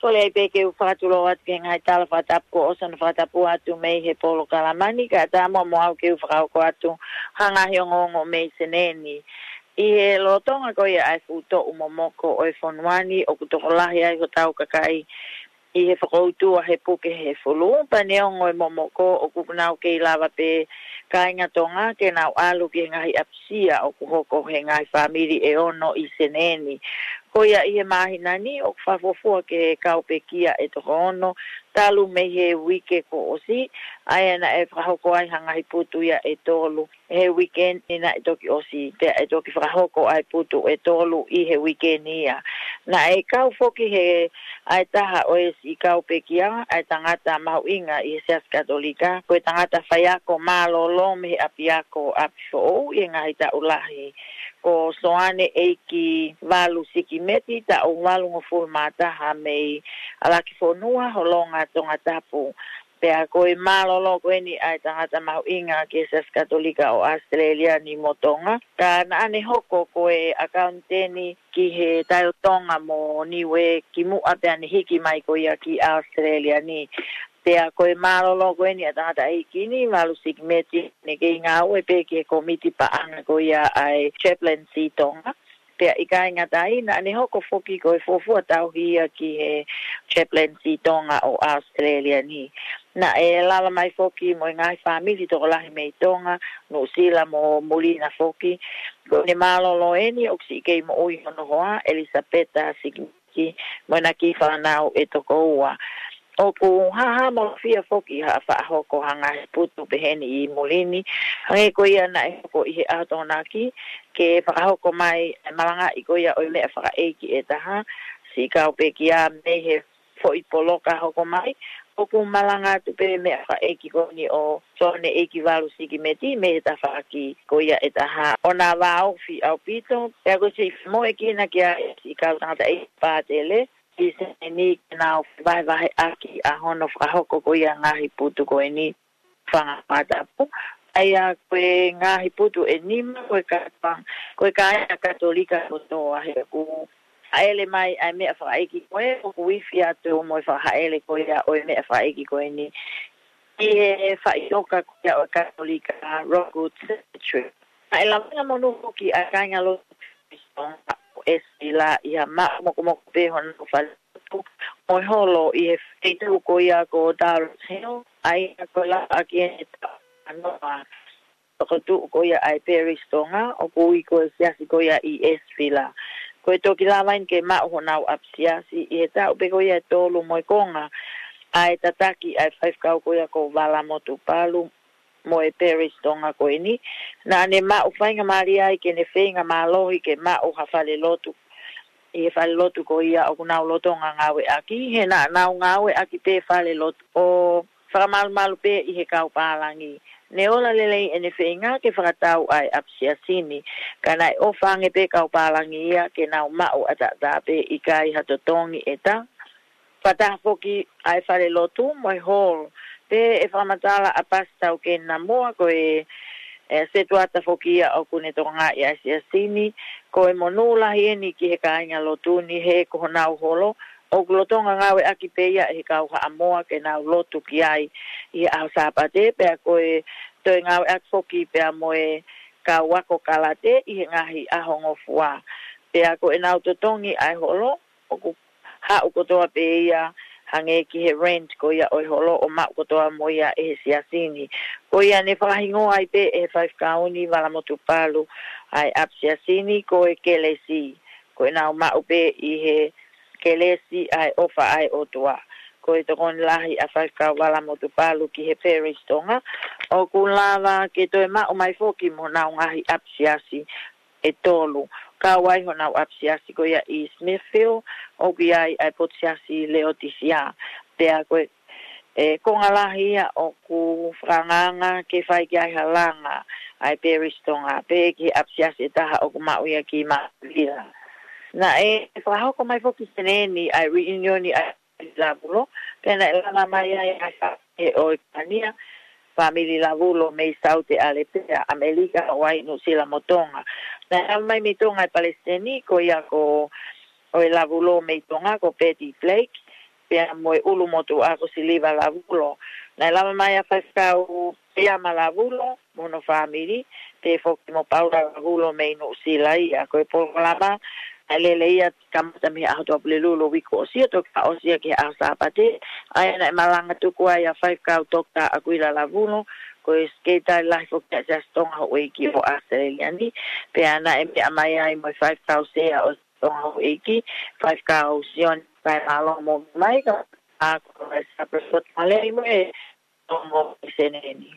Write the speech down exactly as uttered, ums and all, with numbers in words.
Kole ai pē ke u fakatulou atu ki he ngaahi tala fakatapu kuo ʻosi hono fakatapu atu mei he polokalama ni, kae ʻatā muʻa mo au ke u fakahoko atu ha ngaahi ongoongo mei Senē ni. ʻI he lolotonga ko ia ʻa e fuʻu toʻu momoko ʻo e fonua ni, ʻoku tokolahi ai hotau kakai ʻi he fokoutua he puke hehefulu, pea neongo e momoko ʻoku nau kei lava pē kāinga Tonga ke nau ʻalu ki he ngaahi ʻapisia ʻoku hoko he ngaahi fāmili ʻe ono ʻi Senē ni. Ko ia ʻi he māhina ni ʻoku fakafuofua ke kau pekia ʻe toko ono talu mei he uike kuo ʻosi, ʻa ia naʻe fakahoko ai ha ngaahi putu ia ʻe tolu he weekend ni naʻe toki ʻosi, pea ʻe toki fakahoko ʻa e putu ʻe tolu ʻi he weekend ia. Naʻe kau foki he ʻa e taha ʻo e siʻi kau pekia, ʻa e tangata mahuʻinga ʻi he Siasi Katolika, ko e tangata faiako mālōlō mei he ʻapiako ʻapi foʻou ʻi he ngaahi taʻu lahi, ko Soane ʻEiki Valu Sikimeti, taʻu valungofulu mā taha mei ʻAlakifonua, Holonga, Tongatapu. Pea ko e mālōlō ko eni ʻa e tangata mahuʻinga ki he Siasi Katolika ʻo ʻAositelēlia ni mo Tonga. Ka naʻa ne hoko ko e ʻakauniteni ki he Tai ʻo Tonga mo Niuē kimuʻa pea ne hiki mai ko ia ki ʻAositelēlia ni. Pea ko e mālōlō ko eni ʻa e tangataʻeiki ni, Valu Sikimeti, ne kei ngāue pē ki he kōmiti paʻanga ko ia ʻa e Chaplaincy Tonga. Pea ʻikai ngata ai, naʻa ne hoko foki ko e fuofua tauhi ia ki he Chaplaincy Tonga ʻo ʻAositelēlia ni. Naʻe lava mai foki mo e ngaahi fāmili tokolahi mei Tonga, Nuʻusila mo Mulina foki. Ko ʻene mālōlō eni ʻoku siʻi kei moʻui hono hoa, ʻElisapeta Sikimeti, mo ʻena kiʻi fānau ʻe toko ua. ʻOku hāhāmolofia foki ha faʻa hoko ha ngaahi putu peheni ʻi muli ni, hangē ko ia naʻe hoko ʻi he ʻaho Tokonaki, ke fakahoko mai e malangaʻi ko ia ʻo e meʻa fakaʻeiki ʻe taha, siʻi kau pekia mei he foʻi poloka hoko mai, ʻoku malanga atu pē meʻa fakaʻeiki ko eni ʻo Soane ʻEiki Valu Sikimeti mei he tafaʻaki ko ia ʻe taha. ʻOku na vāofi ʻaupito, pea ko e siʻi femoʻuekina ki ai siʻi kau tangataʻeiki pātele, ʻi Senē ni ke nau vahevaheʻaki ʻa hono fakahoko ko ia ngaahi putu ko eni fanga fakatapu. ʻA ia ko e ngaahi putu ʻe nima, ko e kātoa, ko e kāinga Katolika kotoa he ʻoku haʻele mai ʻa e meʻa fakaʻeiki ko ē, ʻoku ifi atu mo e fakahaʻele ko ia ʻo e meʻa fakaʻeiki ko eni ʻi he faʻitoka ko ia ʻo e Katolika, Rockwood Cemetery. Naʻe lavaʻi monū foki ʻa e kāinga lotu ʻo ʻEsivila ʻi ha maʻu mokomoko pē honau fale lotu mo e holo ʻi he feituʻu ko ia ko Durrett Hill, ʻa ia ko e lavaʻaki eni e taʻu ua noa toko tuʻu ko ia ʻa e Parish Tonga, ʻoku ui ko e siasi ko ia ʻi ʻEsivila. Ko e toki lava eni ke maʻu honau ʻapisiasi ʻi he taʻu pē ko ia ʻe tolu mo e konga ʻa e tataki ʻa e faifekau ko ia ko Vala Motupalu mo e Parish Tonga ko eni. Naʻa ne maʻu faingamālie ai ke ne feinga mālohi ke maʻu ha fale lotu ʻi he fale lotu ko ia ʻoku nau lolotonga ngāueʻaki, he naʻa nau ngāueʻaki pē fale lotu ʻo fakamalumalu pē ʻi he kau pālangi. Ne ola lelei ʻene feinga ke fakatau ʻa e ʻapisiasi ni, ka naʻe ʻofa ange pē kau pālangi ia ke nau maʻu ʻataʻatā pē, ʻikai ha totongi ʻe taha. Fakataha foki ʻa e fale lotu mo e hall, pea ʻe fakamatala ʻa Pasitā Taukeni Namoa, ko e, e setuata foki ia ʻoku ne tokangaʻi ʻa e siasi ni, ko e monū lahi eni ki he kāinga lotu ni he ko honau holo ʻoku lolotonga ngāueʻaki pē ia ʻe he kau Haʻamoa ke nau lotu ki ai ʻi he ʻaho Sāpate, pea ko e toe ngāueʻaki foki pea mo e kau ako kalate ʻi he ngaahi ʻaho ngofua. Pea ko ʻenau totongi ʻa e holo, ʻoku haʻu kotoa pē ia hangē ki he rent ko ia ʻo e holo ʻo maʻu kotoa mo ia ʻe he siasi ni. Ko ia ne fakahingoa ai pē ʻe he faifekau ni Vala Motupalu ʻa e ʻapisiasi ni ko e kelesi. Ko ʻenau maʻu pē ʻi he kelesi ʻa e ʻofa ʻa e ʻOtua. Ko e tokoni lahi ʻa Faifekau Vala Motupalu ki he Parish Tonga, ʻoku lava ke toe maʻu mai foki mo honau ngaahi ʻapisiasi ʻe tolu. Kau ai honau ʻapisiasi ko ia ʻi Smithfield, ʻoku ʻi ai ʻa e potu siasi Leotisia. Pea ko e, e konga lahi ia ʻoku fakaangaanga ke fai ki ai ha langa ʻa e Parish Tonga, pehē ki he ʻapisiasi ʻe taha ʻoku maʻu ia ki Māvila. Naʻe fakahoko mai foki Senē ni ʻa e reunion ʻa e Lavulo, pea naʻe lava mai ai ʻa e fāmili ʻo e Kania, fāmili Lavulo mei Saute ʻAlepea, ʻAmelika, Hawaiʻi, Nuʻusila mo Tonga. Naʻe lava mai mei Tonga e palesiteni ko ia ko ʻo e Lavulo mei Tonga ko Betty Blake, pea mo e ʻulumotuʻa ko Siliva Lavulo. Naʻe lava mai ʻa Faifekau Peama Lavulo mo hono fāmili, pea foki mo Paula Lavulo mei Nuʻusila ia. Ko e polokalama naʻe lele ia kamata mei he ʻaho Tuʻapulelulu uike kuo ʻosi ʻo toki fakaʻosi ia ki he ʻaho Sāpate. ʻA ia naʻe malanga tuku ai ʻa Faifekau Toketā ʻAkuila Lavulo, ko e Sekelitali Lahi foki ʻa e Siasi Tonga Houʻeiki ʻo ʻAositelēlia ni, pea naʻe meʻa mai ai mo e Faifekau Sea ʻo Tonga Houʻeiki, Faifekau Sione Paemalo mo mai ka a ko e Sapeso Talei mo e Tonga Seneni.